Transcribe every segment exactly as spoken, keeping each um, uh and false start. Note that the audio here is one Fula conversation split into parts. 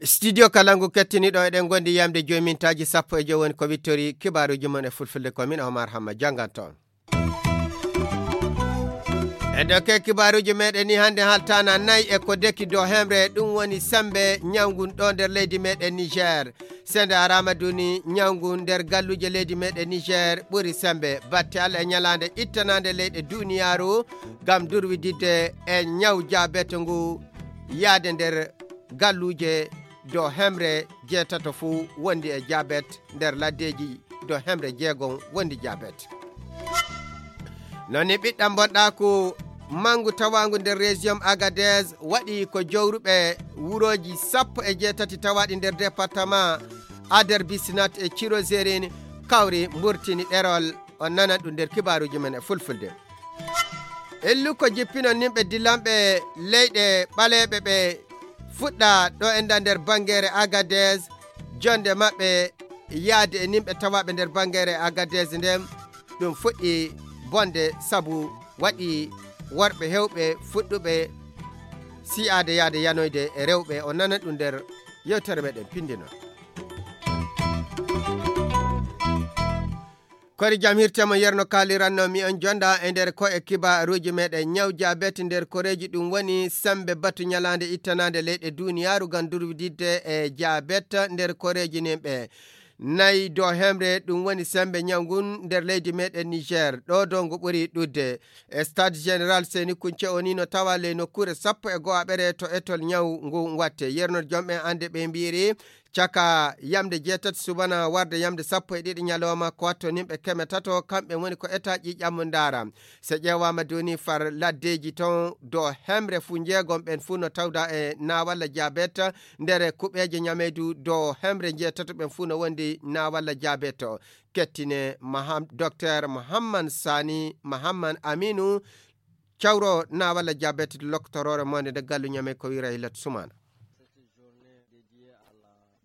Studio Kalangu kettiniiɗo, eɗen ngondi yamde joyi mintaaji sappo e joyi woni ko wittori kibaaruuji mon e fulfulde, ko min Omar Hamma jannganto on. E dokke kibaaruuji meɗen ni hannde haltana nayi e ko deki do hemre, ɗum woni sembe ñawngu ɗo nder leydi meɗen Niger. Sende arama duni ñawngu nder galluje leydi meɗen Niger ɓuri sembe. Batte Allah e ñalaande ittanande leyɗe duniyaaru ngam durwididde e ñaw jabet ngu yaade nder galluje do hemre jeetato fuu wondi e jabet nder laddeeji do hemre jeegom wondi jabet. Noni ɓiɗɗam bonɗaaku mangu tawaangu nder région Agadez waɗi ko jowruɓe wurooji sappo e jeetati tawaaɗi nder département Ader Bisinat e Cirozerin kawri mburtini ɗerol. On nanan ɗum nder kibaaruuji men e fulfulde. Illu ko jippino nimɓe dilanɓe leyɗe ɓaleeɓe ɓe fuɗɗa ɗo enda nder bangeere Agadez, jonde maɓɓe yaade e nimɓe tawaaɓe nder bangeere Agadez nden, ɗum fuɗɗi bonde sabu waɗi worɓe hewɓe fuɗɗuɓe si'aade yaade yanoyde e rewɓe. O nana ɗum nder yewtere meɗen pindino. Kori jam hirtemo yerno kaaliranno mi on jonda e nder ko e kibaruuji meɗen. Ñaw jabet nder koreeji ɗum woni sembe batu ñalaande ittanaande leyɗe duniyaaru ngam durwididde e jabet nder koreeji nin ɓe nayi do hemre, ɗum woni sembe ñaw ngun nder leydi meɗen Niger. Ɗo do ngu ɓuri ɗudde. E Stade Général Seni Kunce o ni no tawa ley nokkuure sappo e go'aɓere to etol ñaw ngun watte. Yerno jom ɓen ande ɓe mbiri caka yamde jeetati subana warde yamde sappo e ɗiɗi ñalawma ko watto nimɓe keme tato, kamɓe woni ko eta ƴiƴam mo ndaara. So ƴeewaama duni far laddeeji ton do hemre fuu njeegom ɓen fuu no tawda e naawalla jabet nder kuɓeeje ñameydu do hemre njeetato ɓen fuu no wondi naawalla jabet. Kettine Maham-, Docteur Mohamman Sani Mohamman Aminu, cawro naawalla jabet loktoroore monde nde gallu ñamey ko wiira Hilat Sumana.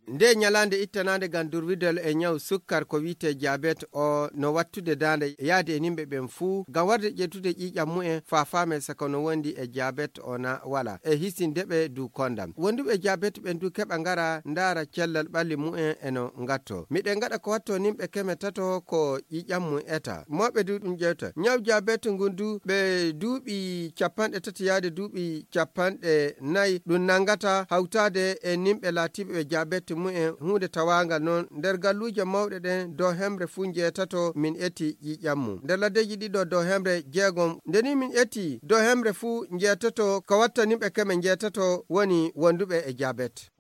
Nde ñalaande ittanaande ngam durwidal e ñaw sukkar ko wiyetee jabet o no wattude daande yaade e nimɓe ɓen fuu ngam warde ƴettude ƴiiƴam mumen faa faamee saka no wondi e jabet o na wala e hisinde ɓe du kondam. Wonduɓe jabet ɓen du keɓa ngara ndaara cellal ɓalli mumen e no ngatto. Miɗen ngaɗa ko watto nimɓe keme tato ko ƴiiƴam mum eta. Mawɓe du ɗum ƴewta. Ñaw jabet ngun du ɓe duuɓi capanɗe tati yaade duuɓi capanɗe nayi ɗum nanngata hawtaade e nimɓe laatiiɓe ɓe jabet mumen huunde tawaangal noon nder galluuje mawɗe ɗen dow hemre fuu njeetato min eti ƴiiƴam mum. Nder laddeeji ɗiɗo dow hemre jeegom nde ni min eti dow hemre fuu njeetato ko watta nimɓe keme njeetato woni wonduɓe e jabet.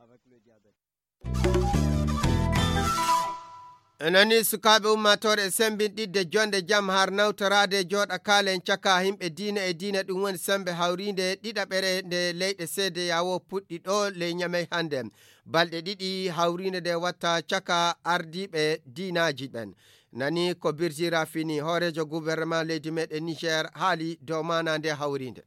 Nani sukaaɓe ummaatoore e sembinɗidde jonde jam har nawtoraade jooɗa kaalen caka himɓe diina e diina, ɗum woni sembe hawriinde ɗiɗaɓere nde leyɗe seede yawo puɗɗi ɗo ley ñamey hannde. Balɗe ɗiɗi hawriinde nde watta caka ardiiɓe diinaaji ɓen. Nani ko Birjira Fini, hooreejo gouvernement leydi meɗen Niger, haali dow maana nde hawriinde.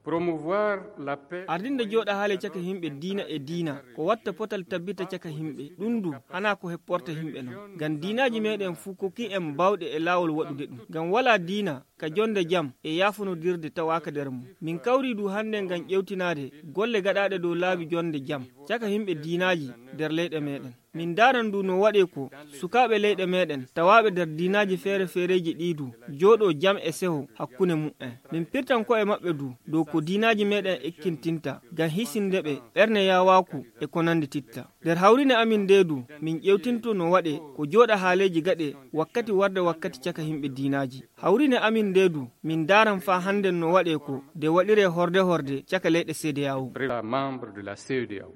Promouvoir la paix. Ardinde jooɗa haale caka himɓe diina e diina, ko watta potal tabbita caka himɓe. Ɗum du, hana ko hepporta himɓe non. Ngam diinaaji meɗen fuu kokki en bawɗe e laawol waɗude ɗum. Ngam wala diina, ka jonde jam e yaafonodirde tawaaka nder mum. Min kawri du hannde ngam ƴewtinaade golle gaɗaaɗe dow laabi jonde jam, caka himɓe diinaaji nder leyɗe meɗen. Min ndaaran du no waɗee ko sukaaɓe leyɗe meɗen tawaaɓe nder diinaaji feere-feereeji ɗii du jooɗoo jam e seho hakkunde muɓɓen. Min pirtan ko'e maɓɓe du dow ko diinaaji meɗen ekkintinta ngam hisinde ɓe ɓerne yaawaaku e ko nanndi titta. Nder hawriine amin ndee du, min ƴeewtinto no waɗee ko jooɗa haaleeji gaɗee wakkati warde wakkati caka himɓe diinaaji. Hawriine amin ndee du, min ndaaran faa hannden no waɗee ko nde waɗiree horde-horde caka leyɗe C D A O. Membre de la C E D A O.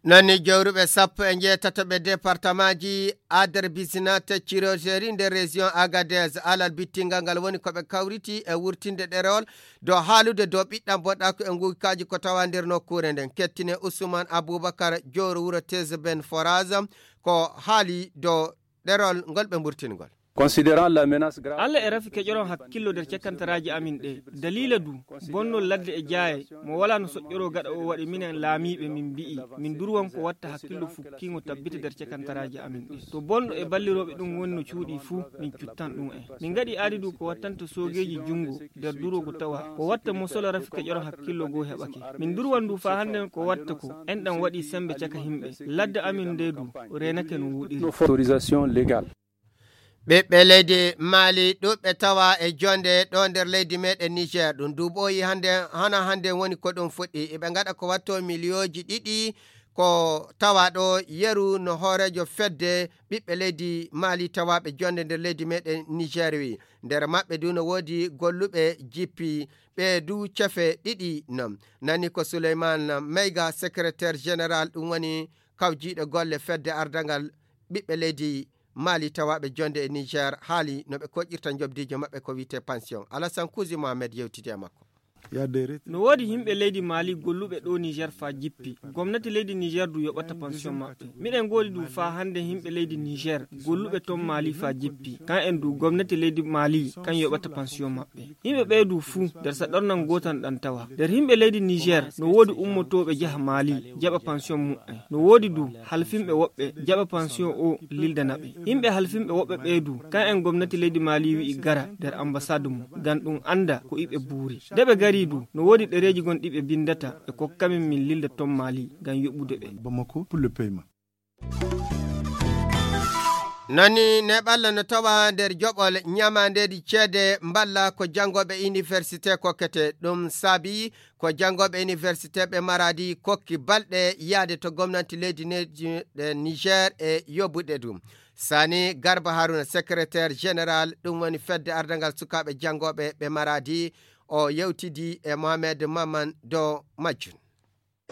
Nani jowruɓe sappo e njeetato ɓe departamaaji Ader Bisinate Ciroseri nder région Agadez alal bittingal ngal woni ko ɓe kawriti e wurtinde ɗerewol dow haalude dow ɓiɗɗam bonɗaaku e nguykaaji ko tawa nder nokkuure nden. Kettine Ousmane Aboubakar jowro wuro Tezeben Foraz ko haali dow ɗerewol ngol ɓe mburtingol. Considérant la menace grave. Alla e rafi keƴoron hakkillo nder cakantaraaji amin ɗe. Daliila du, bonnol ladde e jaaye, mo walaa no soƴƴoroo gaɗa o waɗi minen laamiiɓe min mbi'i, min durwan ko watta hakkillo fukkiingo tabbita nder cakantaraaji amin ɗe. To bonɗo e ballirooɓe ɗum woni no cuuɗi fuu, min cuttan ɗum en. Min ngaɗi aadi du ko wattanta soogeeji junngo nder duroogo tawa, ko watta mo sola rafi keƴoron hakkillo goo heɓake. Min durwan du faa hannden ko watta ko, enɗan waɗi semmbe caka himɓe. Ladde amin nde du, reenake no wooɗiri. Autorisation légale. Ɓiɓɓe leydi Mali ɗuuɗɓe tawa e jonde ɗo nder leydi meɗen Niger. Ɗum du ɓooyi hannde, hana hannde woni ko ɗum fuɗɗi. Eɓe ngaɗa ko watto miliyooji ɗiɗi ko tawa ɗo yeru no hooreejo fedde ɓiɓɓe leydi Mali tawaaɓe jonde nder leydi meɗen Niger wi. Nder maɓɓe du no woodi golluɓe jippi, ɓe du cefe ɗiɗi non. Nani ko Souleymane Meyga, secrétaire général, ɗum woni kawjiiɗo golle fedde ardangal ɓiɓɓe leydi Mali tawaaɓe jonde e Niger haali no ɓe koƴƴirta njoɓdiijo maɓɓe ko wiyetee pension. Alassane Kouzi Mohamed yewtidi e makko. No woodi yimɓe leydi Mali golluɓe ɗo Niger faa jippi. Gomnati leydi Niger du yoɓata pension maɓɓe. Miɗen ngoodi du faa hannde yimɓe leydi Niger golluɓe ton Mali faa jippi. Kan en du gomnati leydi Mali kan yoɓata pension maɓɓe. Yimɓe ɓee du fuu nder saɗornan gootan ɗan tawa. Nder yimɓe leydi Niger no woodi ummotooɓe jaha Mali jaɓa pension muɓɓen. No woodi du halfinɓe woɓɓe jaɓa pension o lildana ɓe. Yimɓe halfinɓe woɓɓe ɓee du, kan en gomnati leydi Mali wi'i gara nder ambasaad mum, ngam ɗum annda ko iɓe buuri. Nde ɓe gari du, no woodi ɗereeji gon ɗi ɓe binndata ɓe kokka min min lilda ton Mali ngam yoɓude ɓe. Bamako pour le paiement. Nani neɓalla no tawa nder joɓol ñamandeeji ceede mballa ko janngooɓe université kokkete. Ɗum saabi ko janngooɓe université ɓe Maradi kokki balɗe yaade to gomnati leydi ne-, ɗe Niger e yoɓude ɗum. Sani Garba Haruna, secrétaire général, ɗum woni fedde ardangal sukaaɓe janngooɓe ɓe Maradi, o yewtidi e Mohamed Maman do majjun.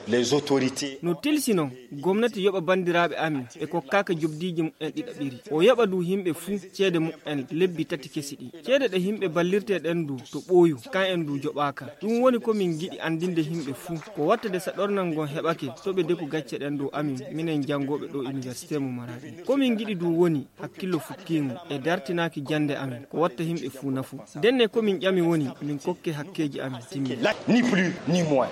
Les autorités. No tilsi non, gomnati yoɓa banndiraaɓe amin ɓe kokkaaka jobdiiji mumen ɗiɗaɓiri. O yoɓa du yimɓe fuu ceede mumen lebbi tati kesi ɗi. Ceede ɗe yimɓe ballirtee ɗen du to ɓooyu, kan en du joɓaaka. Ɗum woni ko min ngiɗi anndinde yimɓe fuu. Ko watta de saɗornan ngon heɓake to ɓe deku gacce ɗen dow amin, minen janngooɓe ɗo université mo Maradi. Ko min ngiɗi du woni hakkillo fukkiingo e dartinaaki jannde amin, ko watta yimɓe fuu nafu. Ndenne ko min ƴami woni min kokke hakkeeji amin timmi. Ni plus, ni moins.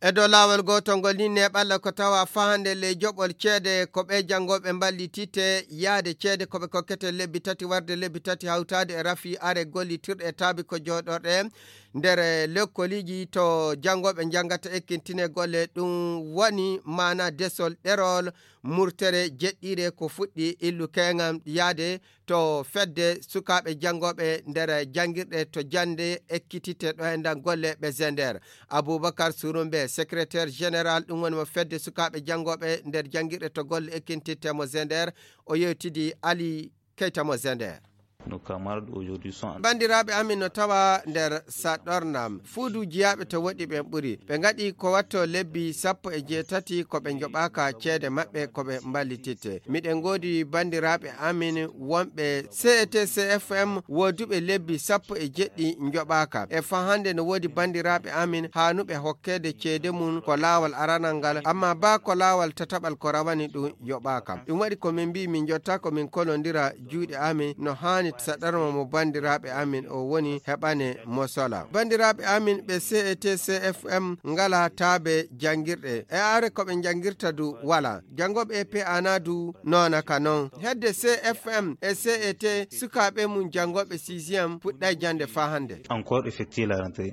E dow laawol gootol ngol ni neɓalla ko tawa fahande ley joɓol ceede ko ɓe janngooɓe mballitite yaade ceede ko ɓe kokkete lebbi tati warde lebbi tati hawtaade e rafi are gollitirɗe e taabi ko jooɗorɗe nder lekkoliiji to janngooɓe njanngata ekkintine golle. Ɗum woni maana desol ɗerol murtere jeɗɗire ko fuɗɗi illu keŋam yaade to fedde sukaaɓe janngooɓe nder janngirɗe to jannde ekkitite ɗo e nder golle ɓe Zender. Aboubacar Surumbe, secrétaire général, ɗum woni mo fedde sukaaɓe janngooɓe nder janngirɗe to golle ekkitite mo Zender, o yewtidi Ali Keita mo Zender. Nos camarades aujourd'hui sont en Banndiraaɓe amin no tawa nder saɗornam. Fuudu jiyaaɓe to woɗɗi ɓen ɓuri. Ɓe ngaɗi ko watto lebbi sappo e jeetati ko ɓe njoɓaaka ceede maɓɓe ko ɓe mballititte. Miɗen ngoodi banndiraaɓe amin wonɓe C E T C F M wooduɓe lebbi sappo e jeɗɗi njoɓaaka. E fahande no woodi banndiraaɓe amin haanuɓe hokkeede ceede mum ko laawol aranal ngal, amma baa ko laawol tataɓal ko rawani ɗum yoɓaaka. Ɗum waɗi ko min mbii min njotta ko min kolondira juuɗe amin no haani saɗorma mo banndiraaɓe amin o woni heɓane mo sola. Banndiraaɓe amin ɓe C E T C F M ngala taabe janngirɗe. E are ko ɓe njanngirta du wala. Janngooɓe E P A na du noona ka non. Hedde C F M e C E T sukaaɓe mum janngooɓe sixième puɗɗay jannde faa hannde. Encore effectuer la rentrée.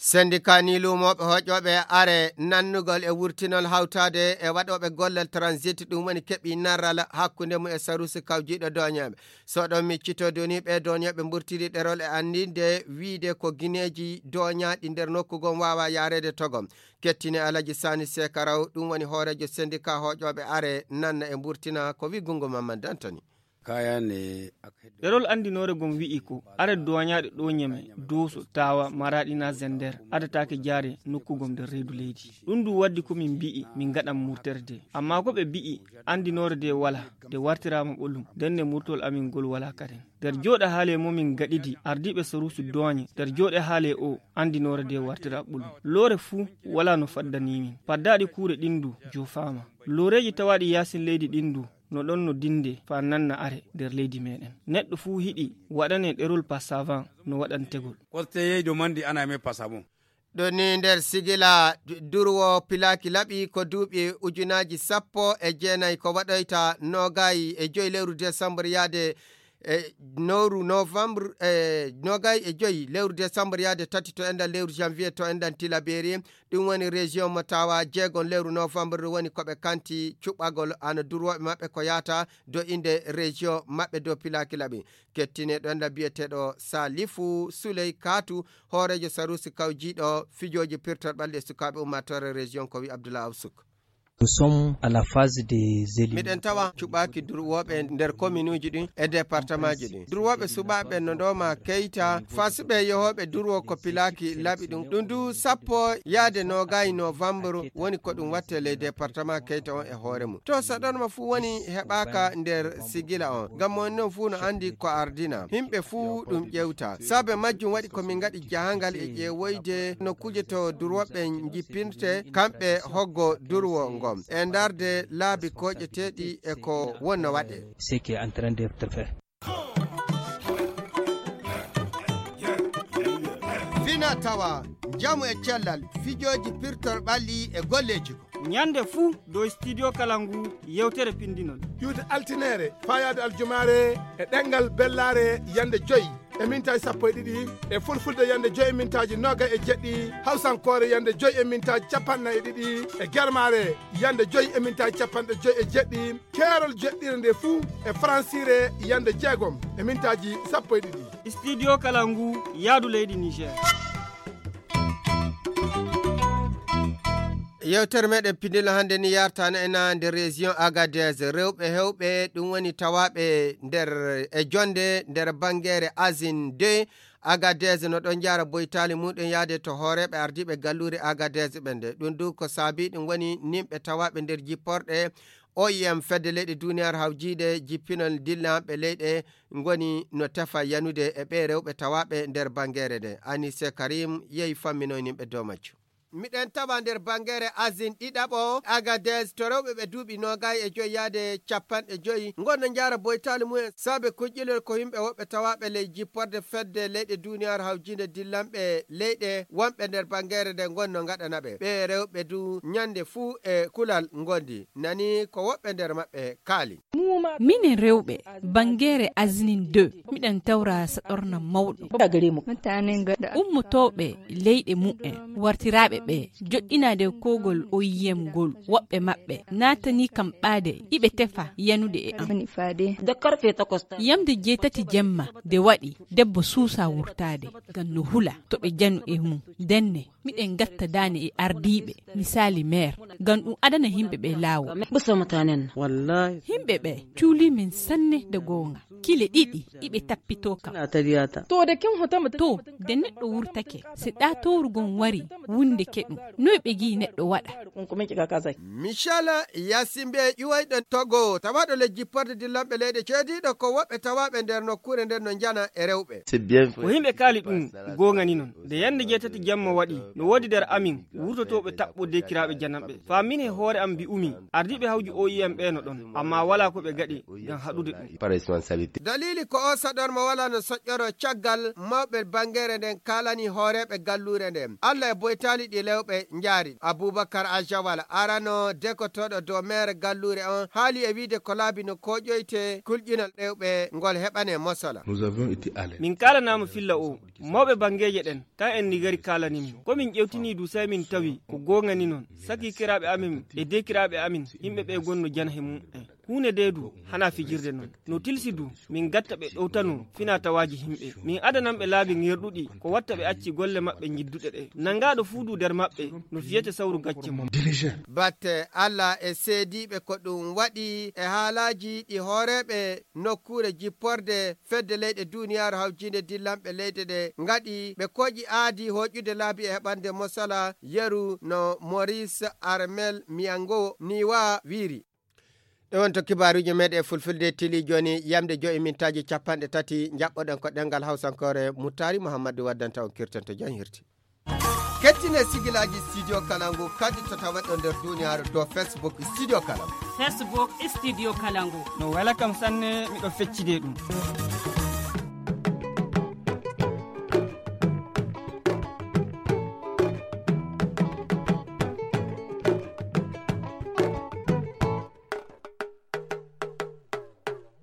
Sendika ni luumooɓe hoƴooɓe are nannugol e wurtinol hawtaade e waɗooɓe gollal transit, ɗum woni keɓi narral hakkunde mum e sarusi kawjiiɗo dooñeeɓe. So ɗon miccito doni ɓe dooñeeɓe mburtiri ɗerol e anndinde wiide ko gineeji dooñaaɗi nder nokku gom waawa yaareede to gom. Kettine Alaji Sani Sekaraw, ɗum woni hooreejo sendika hoƴooɓe are nanna e mburtina ko wi gungo Mamman Dantoni. Kaya ne ak-, Ɗerol anndinoore gom wi'i ko are dooñaaɗe ɗo Ñeme, Dooso, Taawa, Maraaɗi na Zender adataake jaare nokku gom nder reedu leydi. Ɗum du waddi ko min mbi'i min ngaɗan murtere de. Amma ko ɓe mbi'i anndinoore de wala, de wartiraama ɓolum, nden ne murtol amin ngol wala kaden. Nder jooɗe haale mo min gaɗidi ardiiɓe saruusu dooñe, nder jooɗe haale o anndinoore de wartira ɓolum. Loore fuu wala no faddani min. Paddaaɗi kuure ɗin du joofaama. Looreeji tawaaɗi yaasin leydi ɗin du no ɗon no dinde faa nanna are nder leydi meeɗen. Neɗɗo fuu hiɗi waɗane ɗerol pasavan no waɗantegol. Korte yeydo mandi ana me pasabon. Ɗo ni nder sigila durwo pilaaki laɓi ko duuɓi ujunaaji sappo e jeenayi ko waɗoyta noogayi e joyi lewru desambur yaade e nowru novembre e noogayi e joyi lewru desambur yaade tati to enɗan lewru janvier to enɗan tilaberi. Ɗum woni région mo tawa jeegon lewru novembre woni ko ɓe kanti cuɓɓagol ana durwoɓe maɓɓe ko yata do inde région maɓɓe dow pilaaki laɓi. Kettine ɗo enɗan biyeteɗo salifu suley katu hooreejo sarusi kawjiiɗo fijooji pirtol ɓalli e sukaaɓe ummaatoore région ko wi abdullah awsuk. Nous sommes à la phase des éliminatoires. Miɗen tawa cuɓaaki durwooɓe nder kominuuji ɗin e départemaaji ɗin. Durwooɓe suɓaaɓe no ɗooma keyta fasiɓe yohooɓe durwo ko pilaaki laaɓi ɗum ɗum du sappo yaade noogayi novembre woni ko ɗum watte ley département keyta on e hoore mum to saɗorma fuu woni heɓaaka nder sigila on ngam on non fuu no anndi ko ardina himɓe fuu ɗum ƴewta saabe majjum waɗi ko min ngaɗi jahangal e ƴeewoyde nokkuuje to durwoɓe jippirte kamɓe hoggo durwo ngon e ndarde laabi koƴeteeɗi e ko wonno waɗe. Ce qui est en train d'être fait. Fina tawa njamu e cellal fijooji pirtol ɓalli e golleeji ko ñande fuu dow studio kala ngu yewtere pindinon. Ƴuwde altineere fayaade aljumaare e ɗenngal bellaare yande joyi e mintaaji sappo e ɗiɗi e fulfulde yande joyi e mintaaji nooga e jeɗɗi hawsankoore yande joyi e mintaaji capanɗe nayi e ɗiɗi e germaare yande joyi e mintaaji capanɗe joyi e jeɗɗi keerol jeɗɗire nde fuu e faransiire yande jeegom e mintaaji sappo e ɗiɗi. Studio kala ngu yaadu leydi niger. Yewtere meɗen pindilo hannde ni yartano ena nder région agadez rewɓe hewɓe ɗum woni tawaɓe nder e jonde nder bangere asin deux agadez no ɗon jara boytali muɗum yaade to hooreɓe ardiɓe gallure agadez ɓe nde ɗum du ko saabi ɗum woni nimɓe tawaɓe nder jipporɗe oim fedde leyɗe duniyaaru hawjiide jippinol dillanɓe leyɗe ngoni no tefa yanude e ɓee rewɓe tawaaɓe nder banngeere nde. Anise Karim yehi famminoyninɓe dow majjum. Miɗen tawa nder banngeere Asin ɗiɗaɓo, Agadez, to rewɓe ɓe duuɓi noogay e joy yaade capanɗe joy, ngon no njaara boytaali mumen saabe kuƴƴilol ko yimɓe woɓɓe tawaaɓe ley jipporde fedde leyɗe duuniyaaru hawjiinde dillanɓe leyɗe wonɓe nder banngeere nde ngon no ngaɗana ɓe. Ɓee rewɓe du ñande fuu e kulal ngondi. Nani ko woɓɓe nder maɓɓe kaali. Minen rewɓe banngeere Aznin deux, miɗen tawra saɗorna mawɗo. Ummotooɓe leyɗe mumen, wartiraaɓe ɓe, joɗɗinaade kowgol O I M ngol, woɓɓe maɓɓe naatanii kam ɓaade, iɓe tefa yanude e am. Yamde jeetati jemma de waɗi, debbo suusa wurtaade, ngam no hula to ɓe janu e mum. Ndenne, miɗen ngatta daane e ardiiɓe, misaali meer, ngam ɗum adana yimɓe ɓe laawol. Yimɓe ɓe cuulii min sanne de goonga. Kile ɗiɗi iɓe tappitoo kam. To, de neɗɗo wurtake, si ɗaa towru gon wari wundeke ɗum, noy ɓe ngi'i neɗɗo waɗa? Michel Yasimbe ƴuwayɗo Togo, tawaɗo le jipporde dillanɓe leyɗe ceediiɗo ko woɓɓe tawaaɓe nder nokkuure nden no njana e rewɓe. Ko yimɓe kaali ɗum goongani non. Nde yannde jeetati jamma waɗi, no woodi nder amin wurtotooɓe taɓɓo dekiraaɓe jananɓe. Faa min he hoore am mbi'umi, ardiiɓe hawju O I M ɓe no ɗon, ammaa walaa ko ɓe ngaɗi ngam haɗude ɗum. Daliili ko oo saɗorma walaa no soƴƴoroo caggal mawɓe banngeere nden kaalani hooreeɓe galluure nden. Alla e boytaali ɗi lewɓe njaari. Abubakar Ajawal, arano dekotooɗo dow meere galluure on, haali e wiide ko laabi no kooƴoyte kulƴinol rewɓe ngol heɓane mosola. Min kaalanaama filla o, mawɓe banngeeje ɗen, tan en nigari kaalani min. Ko min ƴewtini du sey min tawi ko goongani non. Sakikiraaɓe amin e dekiraaɓe amin, yimɓe ɓe gonno jana he mum en. Huunde de du, hanaa fijirde non. No tilsi du, min gatta ɓe ɗowtano finaa tawaaji yimɓe. Min adanan ɓe laabi ŋerɗuɗi, ko watta ɓe acci golle maɓɓe njidduɗe ɗe. Nangaaɗo fuu du nder maɓɓe, no fiyete sawru gacce mum. Batte Alla e seediiɓe ko ɗum waɗi e haalaaji ɗi hooreeɓe nokkuure jipporde fedde leyɗe duuniyaaru hawjiinde dillanɓe leyɗe ɗe ngaɗi ɓe kooƴi aadi hooƴude laabi e heɓande mosala yeru no Maurice Armel Miyango Niwa wiiri. Ɗe won to kibaaruuji meeɗen e fulfulde tili jooni yamde joyi mintaaji capanɗe tati njaɓɓoɗen ko ɗenngal hawsankoore Muttaari Muhammadu waddanta on kirtanto jam hirti. Kettine sigilaaji Studio Kalangu kadi to tawaɗo nder duuniyaaru dow Facebook Studio Kalangu. Facebook Studio Kalangu. No wela kam sanne, miɗo feccide ɗum.